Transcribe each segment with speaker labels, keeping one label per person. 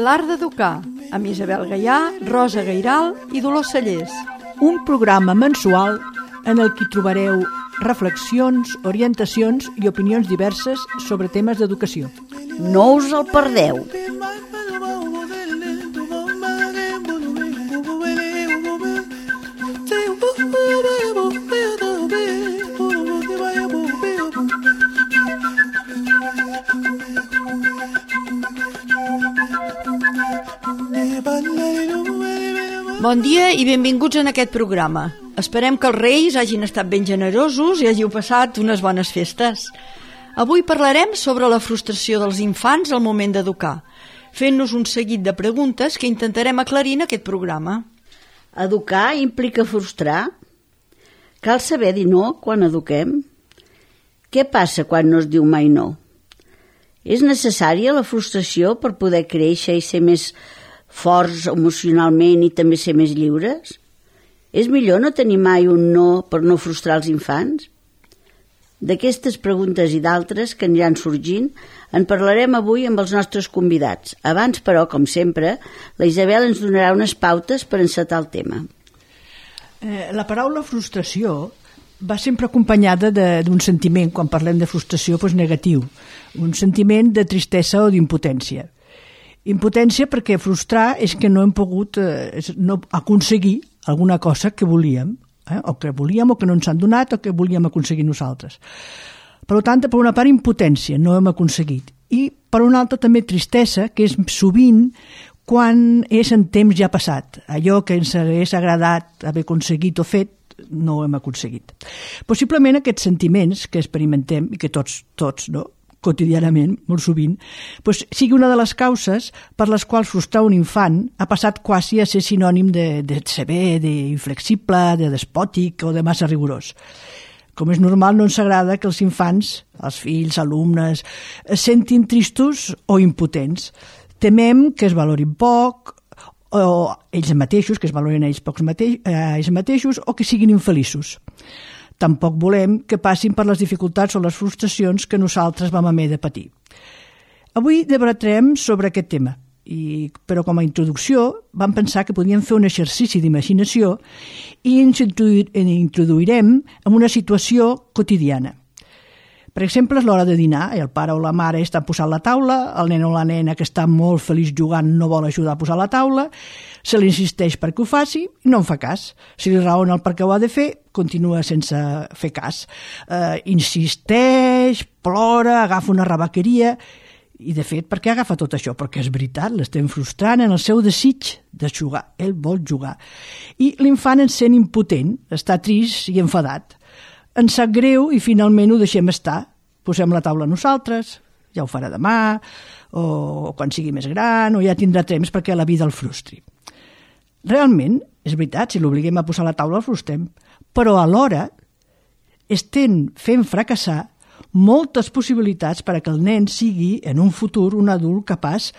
Speaker 1: L'art d'educar, amb Isabel Gaià, Rosa Gairal i Dolors Cellers.
Speaker 2: Un programa mensual en el que trobareu reflexions, orientacions i opinions diverses sobre temes d'educació.
Speaker 3: No us el perdeu.
Speaker 1: Bon dia i benvinguts en aquest programa. Esperem que els Reis hagin estat ben generosos i hàgiu passat unes bones festes. Avui parlarem sobre la frustració dels infants al moment d'educar, fent-nos un seguit de preguntes que intentarem aclarir en aquest programa.
Speaker 3: Educar implica frustrar? Cal saber dir no quan eduquem? Què passa quan no es diu mai no? És necessària la frustració per poder créixer i ser més forts emocionalment i també ser més lliures? És millor no tenir mai un no per no frustrar els infants? D'aquestes preguntes i d'altres que aniran sorgint en parlarem avui amb els nostres convidats. Abans, però, com sempre, la Isabel ens donarà unes pautes per encetar el tema.
Speaker 2: La paraula frustració va sempre acompanyada d'un sentiment, quan parlem de frustració, negatiu, un sentiment de tristesa o d'impotència. Impotència perquè frustrar és que no hem pogut no aconseguir alguna cosa que volíem, o que volíem o que no ens han donat o que volíem aconseguir nosaltres. Per tant, per una part, impotència, no hem aconseguit. I per una altra també tristesa, que és sovint quan és en temps ja passat. Allò que ens hagués agradat haver aconseguit o fet, no ho hem aconseguit. Possiblement aquests sentiments que experimentem i que tots no, quotidianament, molt sovint, sigui una de les causes per les quals frustrar un infant ha passat quasi a ser sinònim de sever, d'inflexible, de despòtic o de massa rigorós. Com és normal, no ens agrada que els infants, els fills, alumnes, es sentin tristos o impotents. Temem que es valorin poc, o ells mateixos, que es valorin ells mateixos, o que siguin infeliços. Tampoc volem que passin per les dificultats o les frustracions que nosaltres vam haver de patir. Avui debatrem sobre aquest tema, però com a introducció vam pensar que podíem fer un exercici d'imaginació i ens introduirem en una situació quotidiana. Per exemple, és l'hora de dinar i el pare o la mare estan posant la taula, el nen o la nena que està molt feliç jugant no vol ajudar a posar la taula, se li insisteix perquè ho faci i no en fa cas. Si li raona el per què ho ha de fer, continua sense fer cas. Insisteix, plora, agafa una rebequeria i, de fet, per què agafa tot això? Perquè és veritat, l'estem frustrant en el seu desig de jugar. Ell vol jugar. I l'infant en sent impotent, està trist i enfadat. Ens sap greu i finalment ho deixem estar. Posem la taula nosaltres, ja ho farà demà, o quan sigui més gran, o ja tindrà temps perquè la vida el frustri. Realment, és veritat, si l'obliguem a posar la taula el frustrem, però alhora estem fent fracassar moltes possibilitats perquè el nen sigui en un futur un adult capaç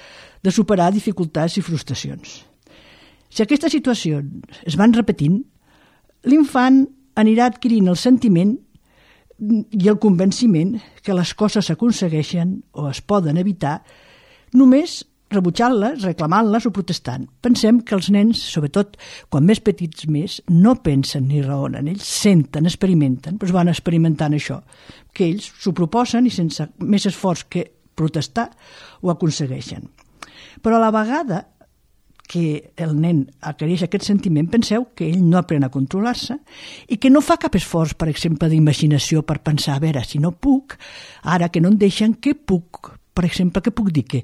Speaker 2: de superar dificultats i frustracions. Si aquestes situacions es van repetint, l'infant anirà adquirint el sentiment i el convenciment que les coses s'aconsegueixen o es poden evitar només rebutjant-les, reclamant-les o protestant. Pensem que els nens, sobretot quan més petits més, no pensen ni raonen, ells senten, experimenten, però van experimentant això, que ells s'ho proposen i sense més esforç que protestar ho aconsegueixen. Però a la vegada que el nen adquireix aquest sentiment, penseu que ell no aprèn a controlar-se i que no fa cap esforç, per exemple, d'imaginació per pensar, a veure, si no puc, ara que no em deixen, què puc? Per exemple, què puc dir? Que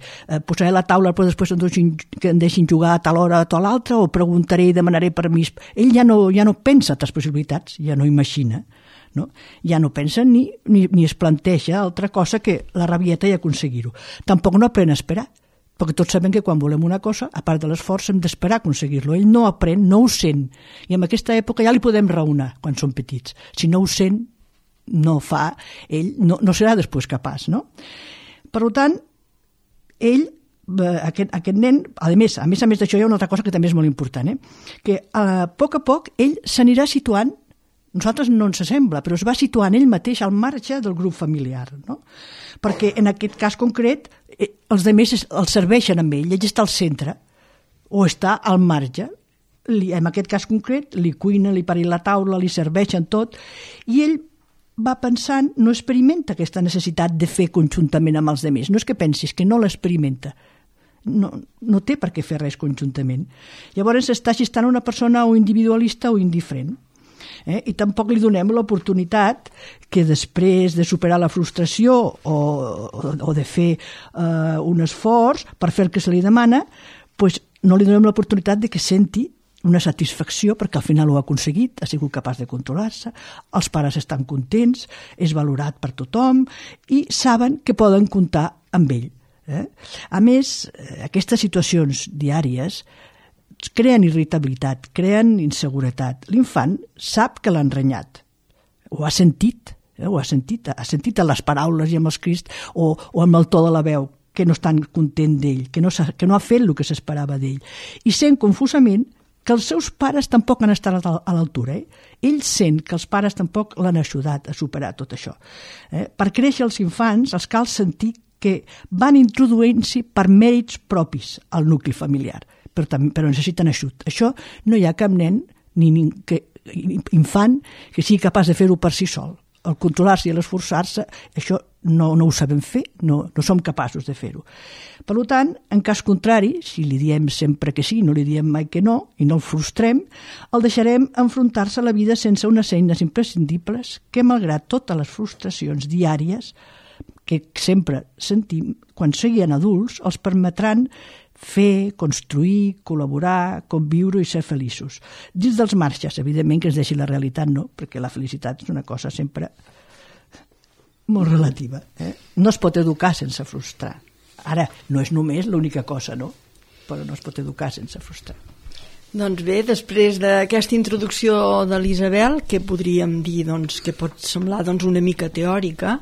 Speaker 2: posaré la taula però després que em deixin jugar a tal hora o a tal altra, o preguntaré i demanaré permís. Ell ja no pensa altres possibilitats, ja no imagina, no? Ja no pensa ni es planteja altra cosa que la rabieta i aconseguir-ho. Tampoc no aprèn a esperar, perquè tots sabem que quan volem una cosa, a part de l'esforç, hem d'esperar a aconseguir-lo. Ell no aprèn, no ho sent. I en aquesta època ja li podem raonar quan som petits. Si no ho sent, no fa, ell no serà després capaç, no? Per tant, ell aquest nen, a més d'això hi ha una altra cosa que també és molt important, que a poc ell s'anirà situant, nosaltres no ens sembla, però es va situant ell mateix al marge del grup familiar, no? Perquè en aquest cas concret els altres el serveixen amb ell està al centre o està al marge. En aquest cas concret li cuina, li paren la taula, li serveixen tot, i ell va pensant, no experimenta aquesta necessitat de fer conjuntament amb els altres. No és que pensis, que no l'experimenta. No té per què fer res conjuntament. Llavors està gestant una persona o individualista o indiferent. I tampoc li donem l'oportunitat que després de superar la frustració o de fer un esforç per fer el que se li demana, pues no li donem l'oportunitat de que senti una satisfacció perquè al final ho ha aconseguit, ha sigut capaç de controlar-se, els pares estan contents, és valorat per tothom i saben que poden comptar amb ell. A més, aquestes situacions diàries creen irritabilitat, creen inseguretat. L'infant sap que l'han renyat, ho ha sentit a les paraules i amb els crits o amb el to de la veu, que no estan content d'ell, que no ha fet el que s'esperava d'ell. I sent confusament que els seus pares tampoc han estat a l'altura. Ell sent que els pares tampoc l'han ajudat a superar tot això. Per créixer els infants els cal sentir que van introduint-s'hi per mèrits propis al nucli familiar, però necessiten ajut. Això no hi ha cap nen ni infant que sigui capaç de fer-ho per si sol. El controlar-se i l'esforçar-se, això no ho sabem fer, no som capaços de fer-ho. Per tant, en cas contrari, si li diem sempre que sí, no li diem mai que no, i no el frustrem, el deixarem enfrontar-se a la vida sense unes eines imprescindibles que, malgrat totes les frustracions diàries que sempre sentim, quan siguin adults, els permetran fer, construir, col·laborar, conviure i ser feliços. Dins dels marges, evidentment que ens deixi la realitat, no, perquè la felicitat és una cosa sempre molt relativa. No es pot educar sense frustrar. Ara, no és només l'única cosa, no? Però no es pot educar sense frustrar.
Speaker 1: Doncs bé, després d'aquesta introducció de l'Isabel, que podríem dir que pot semblar una mica teòrica,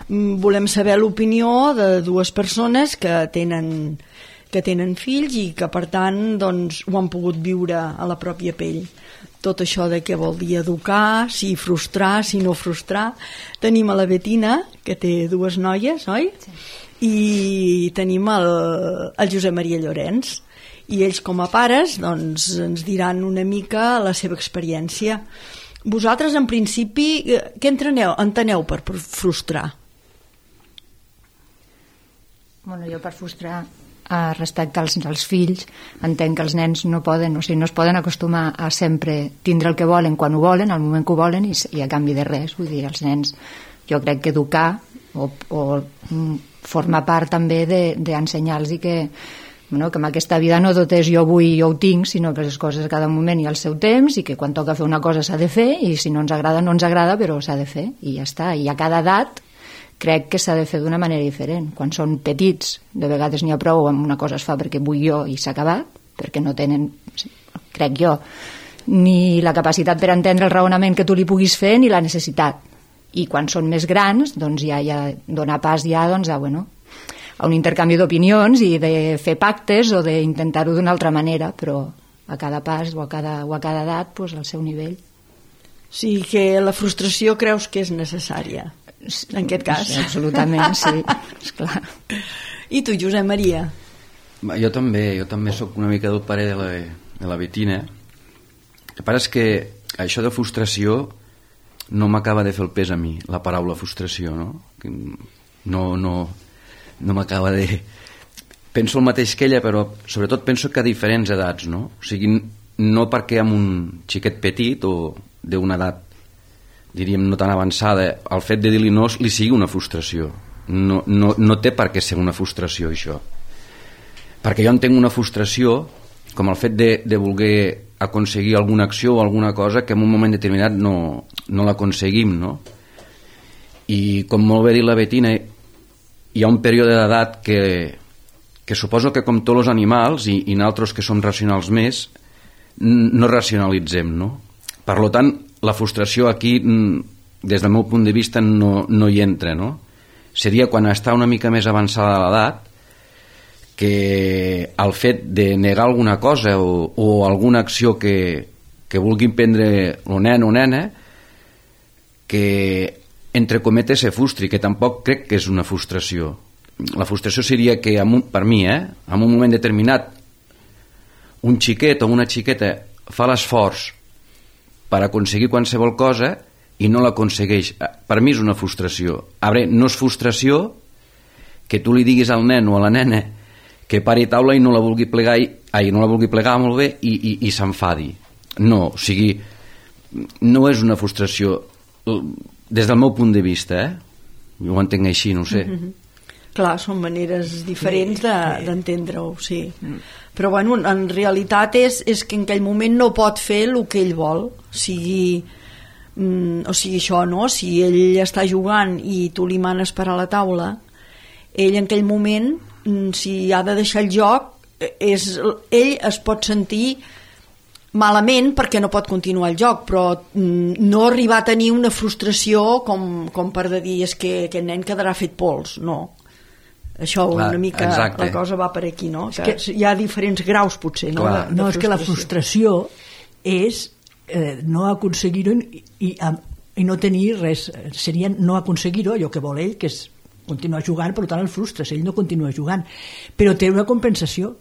Speaker 1: volem saber l'opinió de dues persones que tenen fills i que per tant ho han pogut viure a la pròpia pell. Tot això de què vol dir educar, si frustrar, si no frustrar. Tenim a la Betina, que té dues noies, oi? Sí. I tenim el Josep Maria Llorenç. I ells com a pares ens diran una mica la seva experiència. Vosaltres, en principi, què enteneu per frustrar?
Speaker 4: Bueno, jo per frustrar respecte als fills entenc que els nens no es poden acostumar a sempre tindre el que volen quan ho volen, al moment que ho volen i a canvi de res. Vull dir, els nens jo crec que educar o forma part també d'ensenyar-los que en aquesta vida no tot és jo vull i jo ho tinc, sinó que les coses a cada moment hi ha el seu temps i que quan toca fer una cosa s'ha de fer i si no ens agrada, no ens agrada, però s'ha de fer i ja està. I a cada edat crec que s'ha de fer d'una manera diferent. Quan són petits, de vegades n'hi ha prou amb una cosa es fa perquè vull jo i s'ha acabat, perquè no tenen, crec jo, ni la capacitat per entendre el raonament que tu li puguis fer ni la necessitat. I quan són més grans, doncs ja dona pas a un intercanvi d'opinions i de fer pactes o d'intentar-ho d'una altra manera, però a cada pas o a cada edat al seu nivell.
Speaker 1: Sí, que la frustració creus que és necessària en aquest cas?
Speaker 4: Sí, absolutament, sí, esclar.
Speaker 1: I tu, Josep Maria?
Speaker 5: Jo també soc una mica del parer de la Betina. El que passa és que això de frustració no m'acaba de fer el pes a mi, la paraula frustració, no? No m'acaba de... Penso el mateix que ella, però sobretot penso que a diferents edats, no? O sigui, no perquè amb un xiquet petit o d'una edat diríem no tan avançada, el fet de dir-li no li sigui una frustració. No té per què ser una frustració això, perquè jo entenc una frustració com el fet de voler aconseguir alguna acció o alguna cosa que en un moment determinat no l'aconseguim, no? I com molt bé dit la Betina, hi ha un període d'edat que suposo que com tots els animals i nosaltres que som racionals més no racionalitzem, no? Per tant, la frustració aquí, des del meu punt de vista, no hi entra, no? Seria quan està una mica més avançada l'edat que el fet de negar alguna cosa o alguna acció que vulguin prendre el nen o nena, que entre cometes se frustri, que tampoc crec que és una frustració. La frustració seria que, per mi, en un moment determinat, un xiquet o una xiqueta fa l'esforç per aconseguir qualsevol cosa i no l'aconsegueix. Per mi és una frustració. Ara, no és frustració que tu li diguis al nen o a la nena que pari taula i no la vulgui plegar molt bé i s'enfadi. No, o sigui, no és una frustració des del meu punt de vista, jo ho entenc així, no ho sé.
Speaker 1: Clar, són maneres diferents d'entendre-ho, sí. Però bueno, en realitat és que en aquell moment no pot fer el que ell vol, o sigui això, no? Si ell està jugant i tu li manes per a la taula, ell en aquell moment, si ha de deixar el joc, ell es pot sentir malament perquè no pot continuar el joc, però no arribar a tenir una frustració com per dir és que aquest nen quedarà fet pols, no. Això una mica, exacte. La cosa va per aquí, no? Que hi ha diferents graus potser, no?
Speaker 2: No, és que la frustració és no aconseguir-ho i no tenir res, seria no aconseguir-ho, allò que vol ell, que és continuar jugant, per tant el frustres, ell no continua jugant, però té una compensació,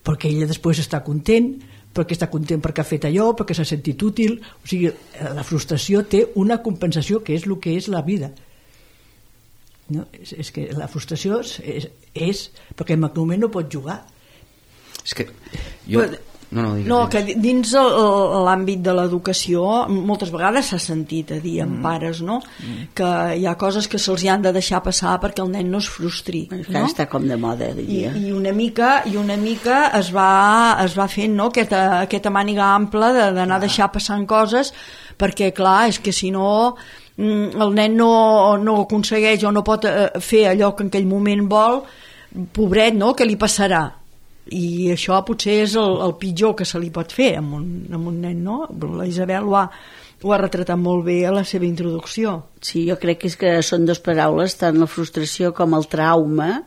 Speaker 2: perquè ell després està content perquè ha fet allò, perquè s'ha sentit útil, o sigui, la frustració té una compensació que és el que és la vida. No? És que la frustració és perquè en aquell moment no pot jugar.
Speaker 5: És que jo...
Speaker 1: que dins l'àmbit de l'educació moltes vegades s'ha sentit a dir amb pares, no? Que hi ha coses que se'ls han de deixar passar perquè el nen no es frustri, no?
Speaker 3: Està com de moda, diria.
Speaker 1: I una mica es va fent, no? Aquesta màniga ampla d'anar deixar passant coses, perquè clar, és que si no el nen no aconsegueix o no pot fer allò que en aquell moment vol, pobret, no? Què li passarà? I això potser és el pitjor que se li pot fer amb un nen, no? La Isabel ho ha retratat molt bé a la seva introducció.
Speaker 3: Sí, jo crec que és que són dues paraules, tant la frustració com el trauma,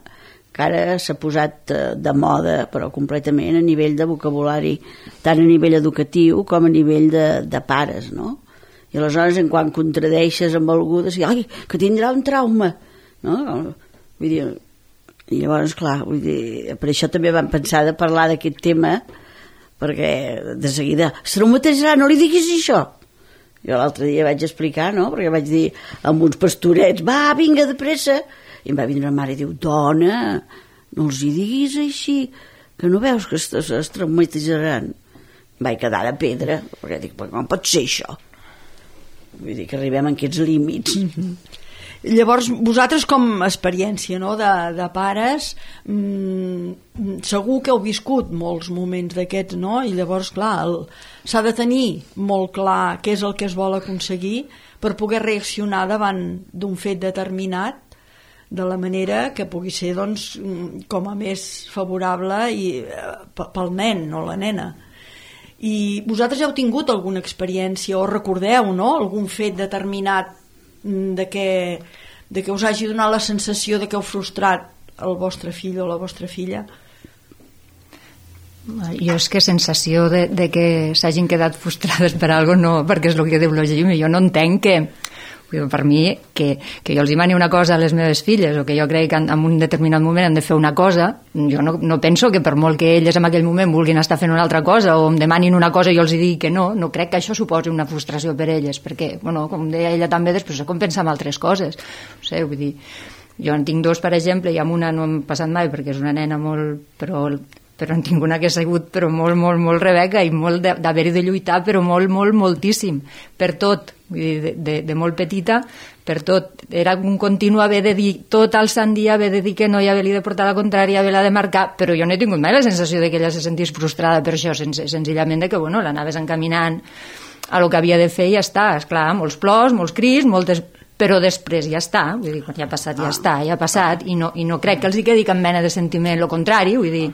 Speaker 3: que ara s'ha posat de moda, però completament a nivell de vocabulari, tant a nivell educatiu com a nivell de pares, no? I aleshores, quan contradeixes amb algú, de dir, ai, que tindrà un trauma, no? Vull dir... I llavors, clar, vull dir, per això també vam pensar de parlar d'aquest tema, perquè de seguida es traumatitzarà, no li diguis això. Jo l'altre dia vaig explicar, no?, perquè vaig dir amb uns pastorets, va, vinga, de pressa. I em va vindre la mare i diu, dona, no els hi diguis així, que no veus que es traumatitzaran. Em vaig quedar de pedra, perquè dic, com pot ser això? Vull dir que arribem a aquests límits.
Speaker 1: Llavors, vosaltres com a experiència, no, de pares, segur que heu viscut molts moments d'aquests, no? I llavors, clar, s'ha de tenir molt clar què és el que es vol aconseguir per poder reaccionar davant d'un fet determinat de la manera que pugui ser, doncs, com a més favorable pel nen o la nena. I vosaltres heu tingut alguna experiència o recordeu, no?, algun fet determinat de que us hagi donat la sensació de que heu frustrat el vostre fill o la vostra filla?
Speaker 4: Jo és que sensació de que s'hagin quedat frustrades per alguna cosa, no, perquè és el que diu la Jimmy, jo no entenc que per mi que jo els demani una cosa a les meves filles o que jo crec que en un determinat moment han de fer una cosa, jo no penso que per molt que elles en aquell moment vulguin estar fent una altra cosa o em demanin una cosa i jo els digui que no crec que això suposi una frustració per elles, perquè, bueno, com deia ella també, després s'ha compensat amb altres coses, no sé, vull dir, jo en tinc dos, per exemple, i amb una no hem passat mai perquè és una nena molt, però en tinc una que ha sigut però molt Rebeca i molt d'haver-hi de lluitar, però moltíssim, per tot, vull dir, de molt petita, per tot. Era un continu haver de dir tot el sant dia, haver de dir que no i haver-li de portar la contrària, haver-la de marcar, però jo no he tingut mai la sensació de que ella se sentís frustrada per això, senzillament de que, bueno, l'anaves encaminant a lo que havia de fer i ja està, esclar, molts plors, molts crits, però després ja està, vull dir, quan ja ha passat ja està, ja ha passat, i no crec que els hi quedi cap mena de sentiment, lo contrari, vull dir,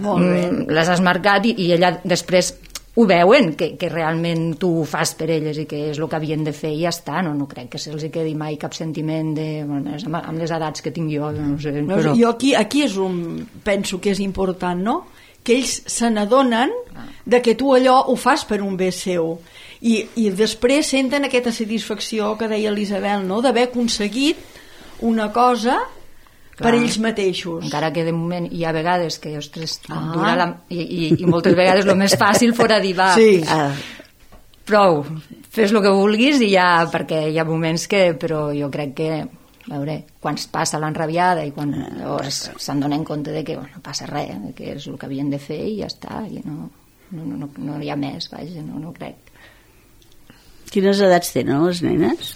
Speaker 1: molt bé.
Speaker 4: Les has marcat i ella després ho veuen, que realment tu ho fas per elles i que és el que havien de fer i ja està, no crec que se'ls quedi mai cap sentiment de, bueno, amb les edats que tinc jo, no sé, però...
Speaker 1: Jo aquí és on penso que és important, no? Que ells se n'adonen de que tu allò ho fas per un bé seu i després senten aquesta satisfacció que deia l'Isabel, no? D'haver aconseguit una cosa per ells mateixos.
Speaker 4: Encara que de moment hi ha vegades que, ostres, dura i moltes vegades el més fàcil fora dir, va,
Speaker 1: sí.
Speaker 4: Prou, fes el que vulguis i ja, perquè hi ha moments que, però jo crec que, a veure, quan es passa l'enrabiada i quan se'n donen compte de que no passa res, que és el que havien de fer i ja està, i no hi ha més, vaja, no crec.
Speaker 3: Quines edats tenen les nenes?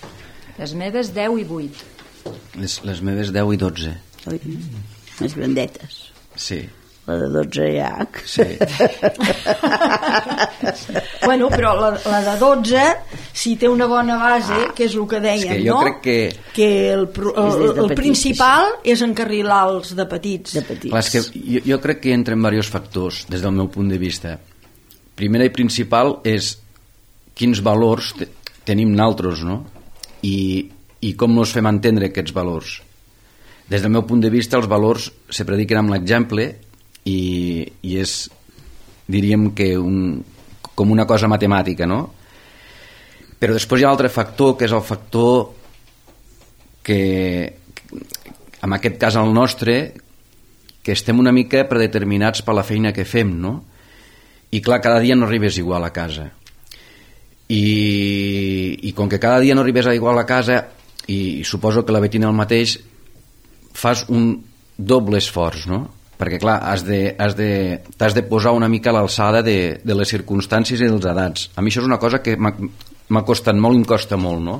Speaker 4: Les meves 10 i 8.
Speaker 5: Les meves 10 i 12.
Speaker 3: Ui, més grandetes.
Speaker 5: Sí.
Speaker 3: La de 12 ja.
Speaker 5: Sí.
Speaker 1: Bueno, però la de 12, si té una bona base, que és el que dèiem,
Speaker 5: és que jo crec
Speaker 1: que el principal és encarrilar els de petits.
Speaker 5: Clar, és que jo crec que hi entren diversos factors, des del meu punt de vista. Primer i principal és quins valors tenim naltros, no? I com nos fem entendre aquests valors. Des del meu punt de vista, els valors se prediquen amb l'exemple i és, diríem que com una cosa matemàtica, no? Però després hi ha l'altre factor, que és el factor que, en aquest cas el nostre, que estem una mica predeterminats per la feina que fem, no? I clar, cada dia no arribes igual a casa. I com que cada dia no arribes igual a casa, i suposo que la Betina el mateix, fas un doble esforç, no? Perquè clar, t'has de posar una mica a l'alçada de les circumstàncies i dels edats. A mi això és una cosa que m'ha costat molt i em costa molt, no?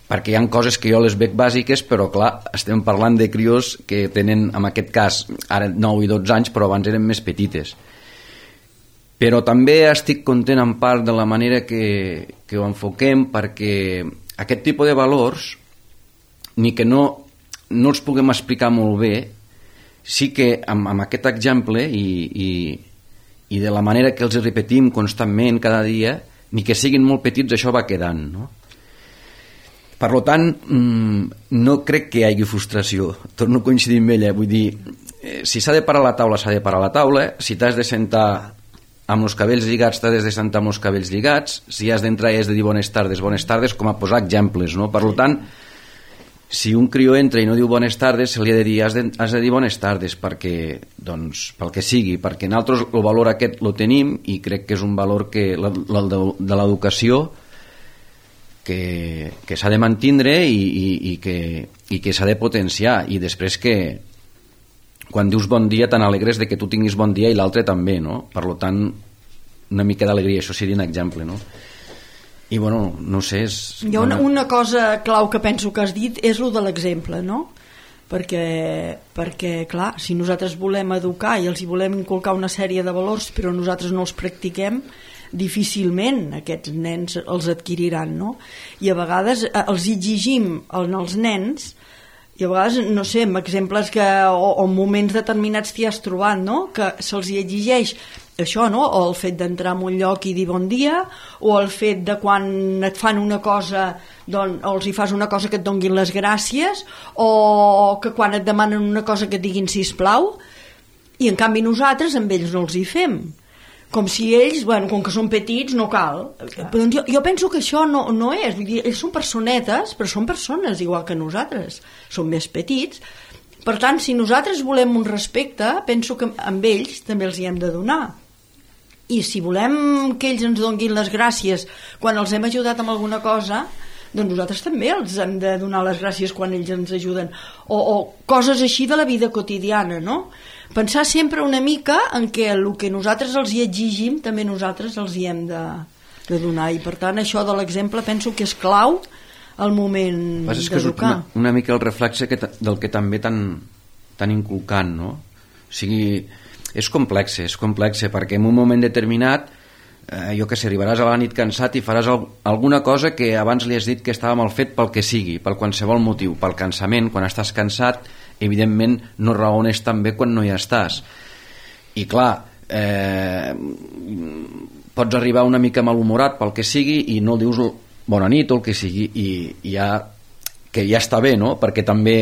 Speaker 5: Perquè hi ha coses que jo les veig bàsiques, però clar, estem parlant de crios que tenen, en aquest cas, ara 9 i 12 anys, però abans eren més petites. Però també estic content en part de la manera que ho enfoquem, perquè aquest tipus de valors, ni que no els puguem explicar molt bé, sí que amb aquest exemple i de la manera que els repetim constantment cada dia, ni que siguin molt petits, això va quedant, no? Per tant, no crec que hi hagi frustració. Torno a coincidir amb ella, vull dir, si s'ha de parar la taula, s'ha de parar la taula, si t'has de sentar amb els cabells lligats, t'has de sentar amb els cabells lligats, si has d'entrar i has de dir bones tardes, com a posar exemples, no? Per tant, si un crió entra i no diu bones tardes, se li ha de dir, has de dir bones tardes, perquè, doncs, pel que sigui, perquè nosaltres el valor aquest lo tenim i crec que és un valor que, de l'educació, que s'ha de mantindre i que s'ha de potenciar, i després que quan dius bon dia te n'alegres de que tu tinguis bon dia i l'altre també, no? Per tant, una mica d'alegria, això seria un exemple, no? I bueno, no sé,
Speaker 1: hi ha una cosa clau que penso que has dit és el de l'exemple, no? Perquè clar, si nosaltres volem educar i els hi volem inculcar una sèrie de valors però nosaltres no els practiquem, difícilment aquests nens els adquiriran, no? I a vegades els exigim als nens, i a vegades, no sé, amb exemples o en moments determinats t'hi has trobat, no? Que se'ls hi exigeix això, no? O el fet d'entrar en un lloc i dir bon dia, o el fet de quan et fan una cosa o els hi fas una cosa que et donguin les gràcies, o que quan et demanen una cosa que et diguin sisplau, i en canvi nosaltres amb ells no els hi fem, com si ells, bueno, com que són petits no cal. Jo penso que això no és, vull dir, ells són personetes, però són persones igual que nosaltres, són més petits. Per tant, si nosaltres volem un respecte, penso que amb ells també els hi hem de donar. I si volem que ells ens donguin les gràcies quan els hem ajudat amb alguna cosa, doncs nosaltres també els hem de donar les gràcies quan ells ens ajuden, o coses així de la vida quotidiana, no? Pensar sempre una mica en què el que nosaltres els hi exigim també nosaltres els hi hem de donar, i per tant això de l'exemple penso que és clau al moment d'educar.
Speaker 5: És una mica el reflexe del que també tan inculcant, no? O sigui, és complex, perquè en un moment determinat, jo que sé, arribaràs a la nit cansat i faràs alguna cosa que abans li has dit que estava mal fet pel que sigui, per qualsevol motiu, pel cansament. Quan estàs cansat, evidentment no raones tan bé quan no hi estàs. I clar, pots arribar una mica malhumorat pel que sigui i no dius bona nit o el que sigui i que ja està bé, no? Perquè també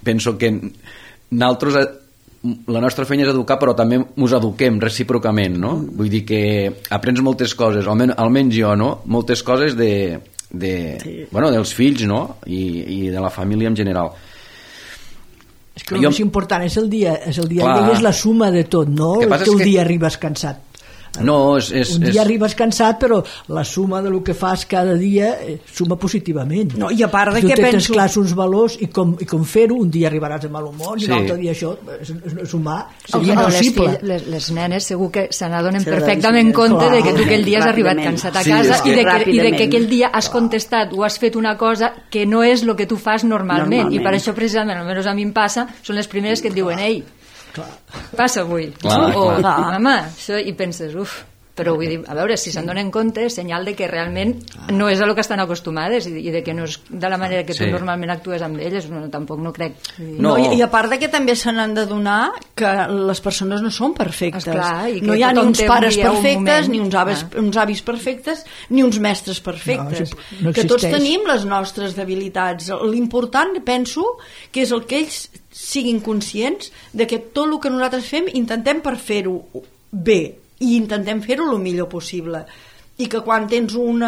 Speaker 5: penso que nosaltres la nostra feina és educar, però també ens eduquem recíprocament, no? Vull dir que aprens moltes coses, almenys jo, no? Moltes coses dels fills, no? I de la família en general.
Speaker 2: És que el més important és el dia i és la suma de tot, no? El teu dia arribes cansat.
Speaker 5: No,
Speaker 2: un dia arribes cansat, però la suma del que fas cada dia suma positivament.
Speaker 1: No, i a part de
Speaker 2: que
Speaker 1: penso...
Speaker 2: tens clars uns valors i com fer-ho, un dia arribaràs de mal humor i l'altre dia això és humà, seria impossible.
Speaker 4: Les nenes segur que se n'adonen perfectament compte de que tu aquell dia has arribat cansat a casa i de que aquell dia has contestat o has fet una cosa que no és el que tu fas normalment. I per això precisament, almenys a mi em passa, són les primeres que et diuen ei, passa avui mama, això, i penses però vull dir, a veure, si se'n donen compte és senyal de que realment no és a lo que estan acostumades i de que no és de la manera que tu normalment actues amb elles, tampoc no crec.
Speaker 1: I a part de que també se n'han d'adonar que les persones no són perfectes.
Speaker 4: Esclar,
Speaker 1: no hi ha ni uns pares perfectes, ni uns avis perfectes, ni uns mestres perfectes. No que tots tenim les nostres debilitats. L'important, penso, que és el que ells siguin conscients de que tot el que nosaltres fem intentem per fer-ho bé i intentem fer-ho el millor possible, i que quan tens un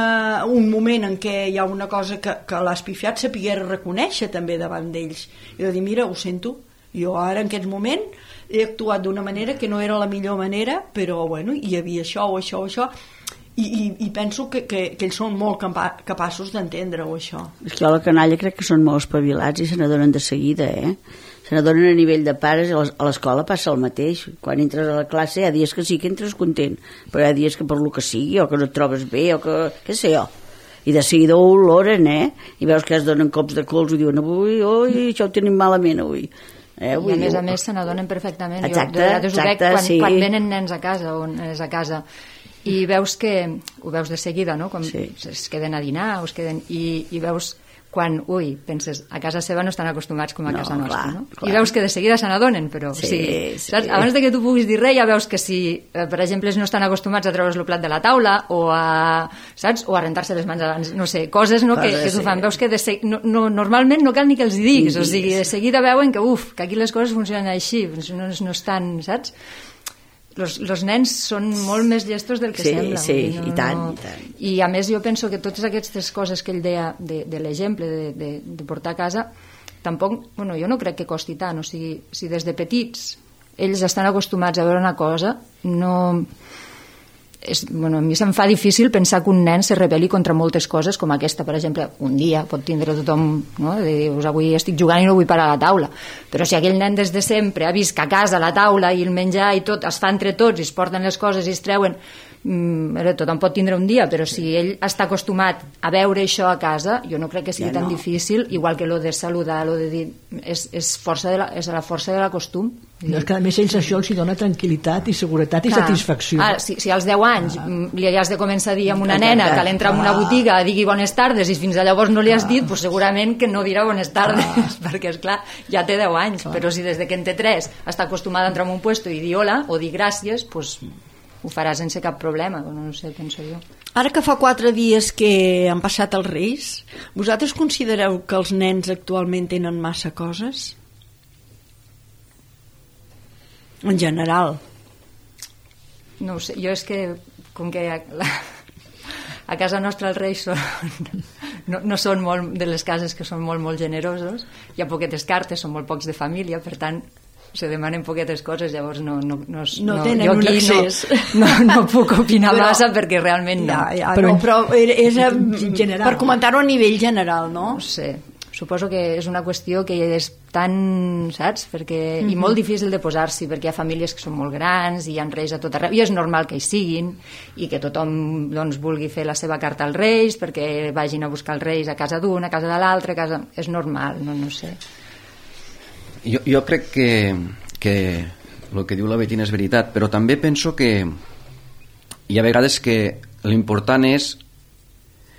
Speaker 1: moment en què hi ha una cosa que l'has pifiat, sapiguer reconèixer també davant d'ells i de dir, mira, ho sento, jo ara en aquest moment he actuat d'una manera que no era la millor manera, però bueno, hi havia això o això o això, i penso que ells són molt capaços d'entendre-ho, això.
Speaker 3: És que a la canalla crec que són molt espavilats i se n'adonen de seguida, se n'adonen a nivell de pares. A l'escola passa el mateix. Quan entres a la classe hi ha dies que sí que entres content, però hi ha dies que per lo que sigui, o que no et trobes bé, o que, què sé jo, i de seguida ho oloren, i veus que es donen cops de cols i diuen avui, això ho tenim malament avui.
Speaker 4: I a més se n'adonen perfectament.
Speaker 3: Exacte,
Speaker 4: quan venen nens a casa o nenes a casa i veus que ho veus de seguida, no? Quan es queden a dinar o es queden, i veus quan, penses, a casa seva no estan acostumats com a casa nostra, no? I veus que de seguida se n'adonen, però saps? Abans de que tu puguis dir res, ja veus que si, per exemple, no estan acostumats a treure's el plat de la taula o a rentar-se les mans abans, no sé, coses que t'ho fan. Veus que normalment no cal ni que els diguis, o sigui, de seguida veuen que aquí les coses funcionen així, no estan, saps? Els nens són molt més llestos del que sembla.
Speaker 3: I tant.
Speaker 4: I a més jo penso que totes aquestes coses que ell deia de l'exemple de portar a casa, tampoc, jo no crec que costi tant. O sigui, si des de petits ells estan acostumats a veure una cosa, a mi se'm fa difícil pensar que un nen se rebel·li contra moltes coses com aquesta, per exemple, un dia pot tindre tothom, no? De dir, avui estic jugant i no vull parar a la taula, però si aquell nen des de sempre ha vist que a casa la taula i el menjar i tot es fa entre tots i es porten les coses i es treuen, tothom pot tindre un dia, però si ell està acostumat a veure això a casa, jo no crec que sigui tan difícil, igual que lo de saludar, lo de dir, és la força de la costum.
Speaker 2: És que a més ells això els dona tranquil·litat i seguretat i satisfacció.
Speaker 4: Si als 10 anys li has de començar a dir a una nena que l'entra en una botiga digui bones tardes i fins a llavors no li has dit, pues segurament que no dirà bones tardes, perquè esclar, ja té 10 anys, però si des de que en té 3 està acostumada a entrar en un puesto i dir hola o dir gràcies, pues ho farà sense cap problema, no sé, penso jo.
Speaker 1: Ara que fa 4 dies que han passat els Reis, vosaltres considereu que els nens actualment tenen massa coses? En general.
Speaker 4: No ho sé, jo és que com que a casa nostra els Reis no són molt de les cases que són molt, molt generosos, hi ha poquetes cartes, són molt pocs de família, per tant se demanen poquetes coses, llavors no
Speaker 1: tenen un accés.
Speaker 4: No puc opinar massa perquè realment no.
Speaker 1: Però és general, per comentar-ho a nivell general, no?
Speaker 4: No sé, suposo que és una qüestió que és tan, saps? I molt difícil de posar-s'hi, perquè hi ha famílies que són molt grans i hi ha reis a tot arreu, i és normal que hi siguin i que tothom vulgui fer la seva carta als reis perquè vagin a buscar els reis a casa d'un, a casa de l'altre, és normal, no sé.
Speaker 5: Jo crec que el que diu la Betina és veritat, però també penso que hi ha vegades que l'important és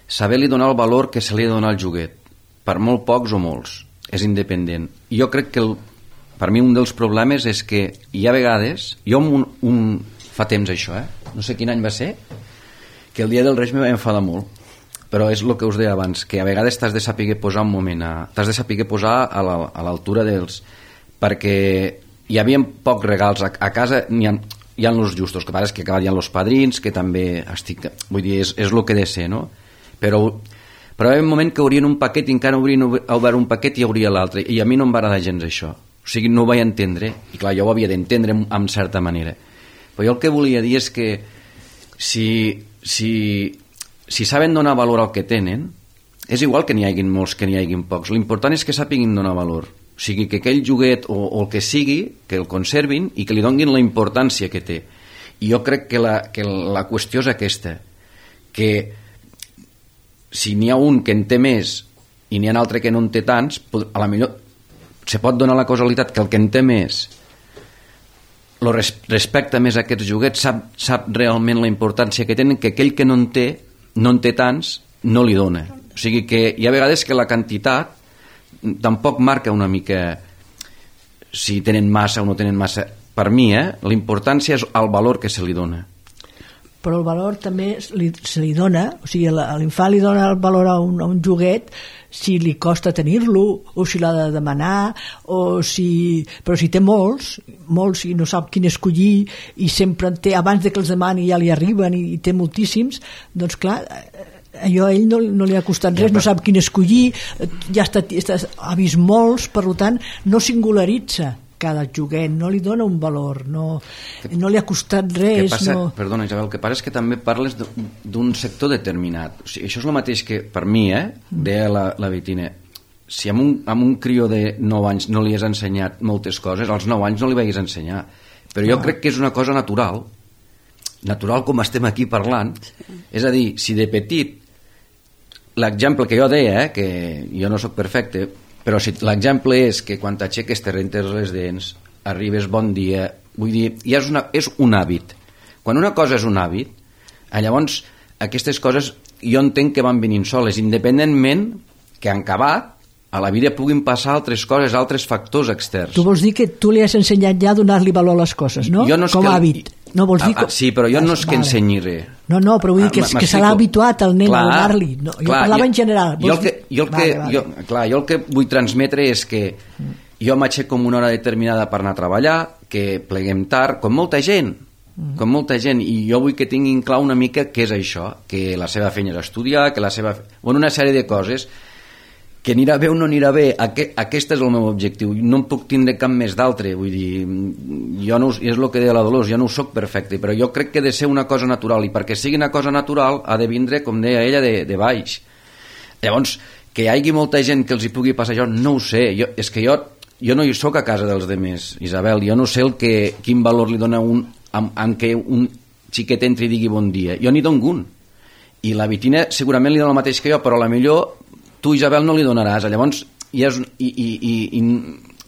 Speaker 5: saber-li donar el valor que se li ha de donar al joguet, per molt pocs o molts, és independent. Jo crec que per mi un dels problemes és que hi ha vegades, jo fa temps això, no sé quin any va ser, que el dia dels Reis me va enfadar molt, però és el que us deia abans, que a vegades t'has de saber posar un moment, t'has de saber posar a l'altura dels... perquè hi havia pocs regals, a casa hi ha els justos, que passa que hi ha els padrins, que també estic... Vull dir, és el que he de ser, no? Però hi havia un moment que obrien un paquet i encara obrien obert un paquet i obria l'altre, i a mi no em va agradar gens això. O sigui, no ho vaig entendre, i clar, jo ho havia d'entendre en certa manera. Però jo el que volia dir és que si saben donar valor al que tenen, és igual que n'hi hagi molts que n'hi hagi pocs, l'important és que sàpiguin donar valor, o sigui, que aquell joguet o el que sigui, que el conservin i que li donin la importància que té. I jo crec que la qüestió és aquesta, que si n'hi ha un que en té més i n'hi ha un altre que no en té tants, a la millor se pot donar la causalitat que el que en té més respecta més aquests joguets, sap realment la importància que tenen, que aquell que no en té tants, no li dona. O sigui que hi ha vegades que la quantitat tampoc marca una mica si tenen massa o no tenen massa. Per mi, l'importància és el valor que se li dona.
Speaker 2: Però el valor també se li dona, o sigui, a l'infant li dona el valor a un joguet si li costa tenir-lo, o si l'ha de demanar, però si té molts i no sap quin escollir i sempre en té, abans de que els demani ja li arriben i té moltíssims, doncs clar, allò a ell no li ha costat res, no sap quin escollir, ja ha vist molts, per tant no singularitza cada joguet, no li dona un valor, no li ha costat res.
Speaker 5: Perdona, Isabel, el que passa és que també parles d'un sector determinat. O sigui, això és el mateix que per mi, deia la Betina, si amb un crió de 9 anys no li has ensenyat moltes coses, als 9 anys no li vagis ensenyar. Però jo crec que és una cosa natural com estem aquí parlant. És a dir, si de petit l'exemple que jo deia, que jo no sóc perfecte, però si l'exemple és que quan t'aixeques te rentes les dents, arribes bon dia, vull dir, ja és un hàbit. Quan una cosa és un hàbit, llavors aquestes coses jo entenc que van venint soles, independentment que han acabat, a la vida puguin passar altres coses, altres factors externs.
Speaker 2: Tu vols dir que tu li has ensenyat ja a donar-li valor a les coses, no? Com a hàbit. No vols dir
Speaker 5: sí, però jo no és que ensenyi res.
Speaker 2: No, però vull dir que se l'ha habituat el nen a donar-li. Jo parlava en general.
Speaker 5: Jo el que vull transmetre és que jo m'aixeco amb una hora determinada per anar a treballar, que pleguem tard, com molta gent, i jo vull que tinguin clar una mica què és això, que la seva feina és estudiar, que la seva... Bueno, una sèrie de coses que anirà bé o no anirà bé, aquest és el meu objectiu, no em puc tindre cap més d'altre, vull dir, jo no, és el que deia la Dolors, jo no ho soc perfecte, però jo crec que ha de ser una cosa natural, i perquè sigui una cosa natural ha de vindre, com deia ella, de baix. Llavors, que hi hagi molta gent que els hi pugui passar això, no ho sé, és que jo no hi soc a casa dels demés, Isabel, jo no sé quin valor li dona en què un xiquet entri i digui bon dia, jo n'hi dono un, i la Betina segurament li dona el mateix que jo, però a la millor tu, Isabel, no li donaràs. Llavors,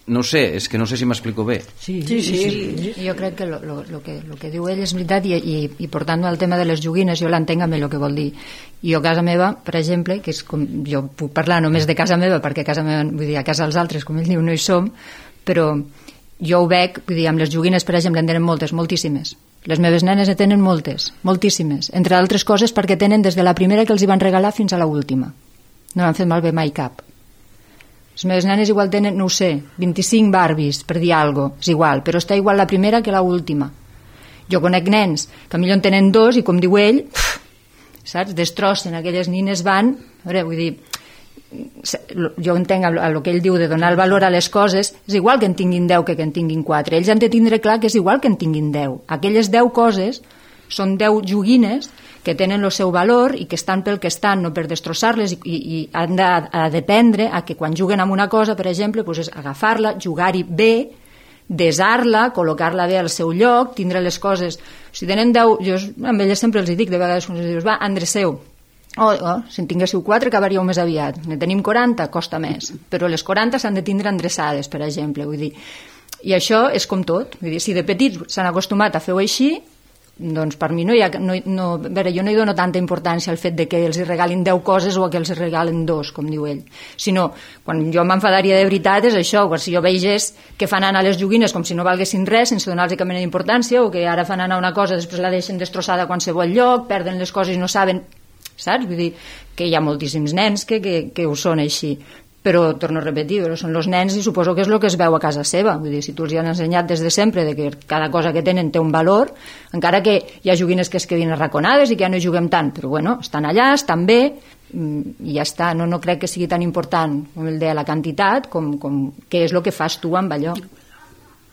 Speaker 5: no sé, és que no sé si m'explico bé.
Speaker 4: Sí. Jo crec que el que diu ell és veritat, i portant al tema de les joguines, jo l'entenc amb el que vol dir. I jo a casa meva, per exemple, que és com, jo puc parlar només de casa meva, perquè a casa meva, vull dir, a casa dels altres, com ell diu, no hi som, però jo ho veig, vull dir, amb les joguines, per exemple, en tenen moltes, moltíssimes. Les meves nenes en tenen moltíssimes, entre altres coses perquè tenen des de la primera que els hi van regalar fins a l'última. No han fet malbé mai cap. Les meves nenes igual tenen, no ho sé, 25 Barbies, per dir alguna cosa, és igual, però està igual la primera que l'última. Jo conec nens que millor en tenen 2 i, com diu ell, saps, destrossen, aquelles nines van, a veure, vull dir, jo entenc el que ell diu de donar el valor a les coses, és igual que en tinguin 10 que en tinguin 4. Ells han de tindre clar que és igual que en tinguin 10. Aquelles 10 coses són 10 joguines que tenen el seu valor i que estan pel que estan, no per destrossar-les, i han de dependre a que quan juguen amb una cosa, per exemple, és agafar-la, jugar-hi bé, desar-la, col·locar-la bé al seu lloc, tindre les coses... Si tenen 10, jo amb elles sempre els dic, de vegades quan els dius, va, endreceu. Si en tinguéssiu 4 acabaríeu més aviat. Ne tenim 40, costa més. Però les 40 s'han de tindre endreçades, per exemple, vull dir. I això és com tot. Vull dir, si de petits s'han acostumat a fer-ho així, doncs per mi no hi ha... a veure, jo no hi dono tanta importància al fet de que els regalin 10 coses o que els regalen 2, com diu ell, sinó quan jo m'enfadaria de veritat és això, quan si jo vegés que fan anar les joguines com si no valguessin res, sense donar-los cap mena d'importància, o que ara fan anar una cosa després la deixen destrossada a qualsevol lloc, perden les coses i no saben, saps? Vull dir que hi ha moltíssims nens que ho són així, però torno a repetir, però són els nens i suposo que és el que es veu a casa seva. Vull dir, si tu els hi han ensenyat des de sempre de que cada cosa que tenen té un valor, encara que hi ha joguines que es quedin arraconades i que ja no hi juguem tant, però bueno, estan allà, estan bé i ja està. No crec que sigui tan important, com el deia, la quantitat com què és el que fas tu amb allò.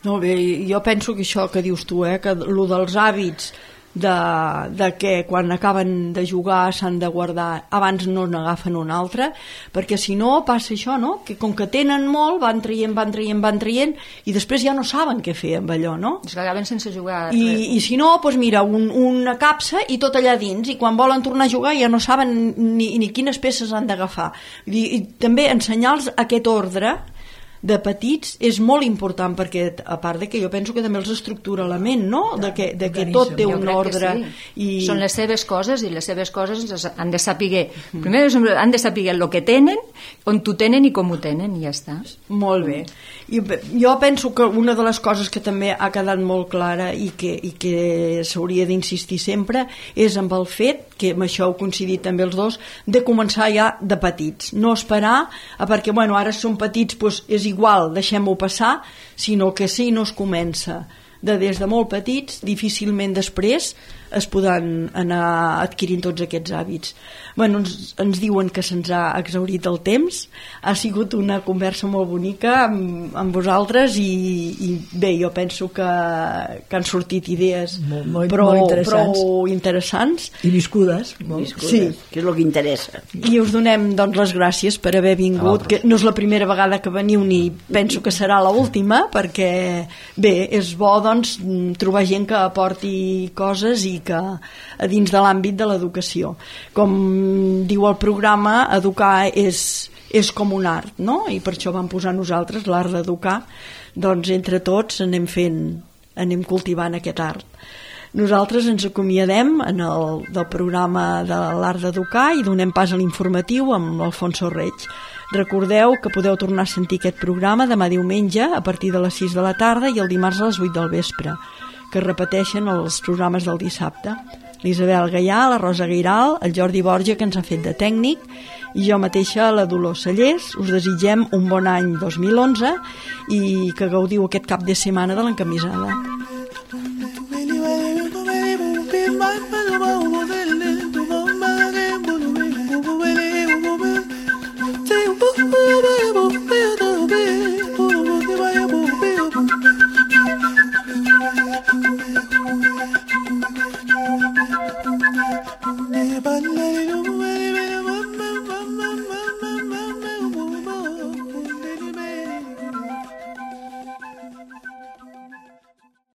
Speaker 1: No, bé, jo penso que això que dius tu, que el dels hàbits de que quan acaben de jugar s'han de guardar, abans no n'agafen un altre, perquè si no passa això, no? Que com que tenen molt van traient i després ja no saben què fer amb allò, no?
Speaker 4: És que acaben sense jugar
Speaker 1: i si no, doncs mira, una capsa i tot allà dins, i quan volen tornar a jugar ja no saben ni quines peces han d'agafar. I també ensenyar-los aquest ordre de petits és molt important, perquè a part de que jo penso que també els estructura la ment, no? De que tot té un ordre
Speaker 4: i... Són les seves coses i les seves coses han de saber primer han de saber el que tenen, on t'ho tenen i com ho tenen, i ja està.
Speaker 1: Molt bé. Jo penso que una de les coses que també ha quedat molt clara i que s'hauria d'insistir sempre és amb el fet, que amb això heu coincidit també els dos, de començar ja de petits, no esperar perquè bueno, ara són petits, doncs és igual, deixem-ho passar, sinó que si no es comença des de molt petits, difícilment després es podran anar adquirint tots aquests hàbits. Bueno, ens diuen que se'ns ha exhaurit el temps, ha sigut una conversa molt bonica amb vosaltres i bé, jo penso que han sortit idees molt interessants
Speaker 2: i viscudes,
Speaker 1: sí,
Speaker 3: que és el que interessa,
Speaker 1: i us donem doncs les gràcies per haver vingut, que no és la primera vegada que veniu ni penso que serà l'última, perquè bé, és bo doncs trobar gent que aporti coses i que a dins de l'àmbit de l'educació, com diu el programa, educar és com un art, no? I per això vam posar nosaltres l'art d'educar, doncs entre tots anem cultivant aquest art. Nosaltres ens acomiadem del programa de l'art d'educar i donem pas a l'informatiu amb l'Alfonso Reig. Recordeu que podeu tornar a sentir aquest programa demà diumenge a partir de les 6 de la tarda i el dimarts a les 8 del vespre, que repeteixen els programes del dissabte. L'Isabel Gaià, la Rosa Guiral, el Jordi Borja, que ens ha fet de tècnic, i jo mateixa, la Dolors Cellers. Us desitgem un bon any 2011 i que gaudiu aquest cap de setmana de l'encamisada.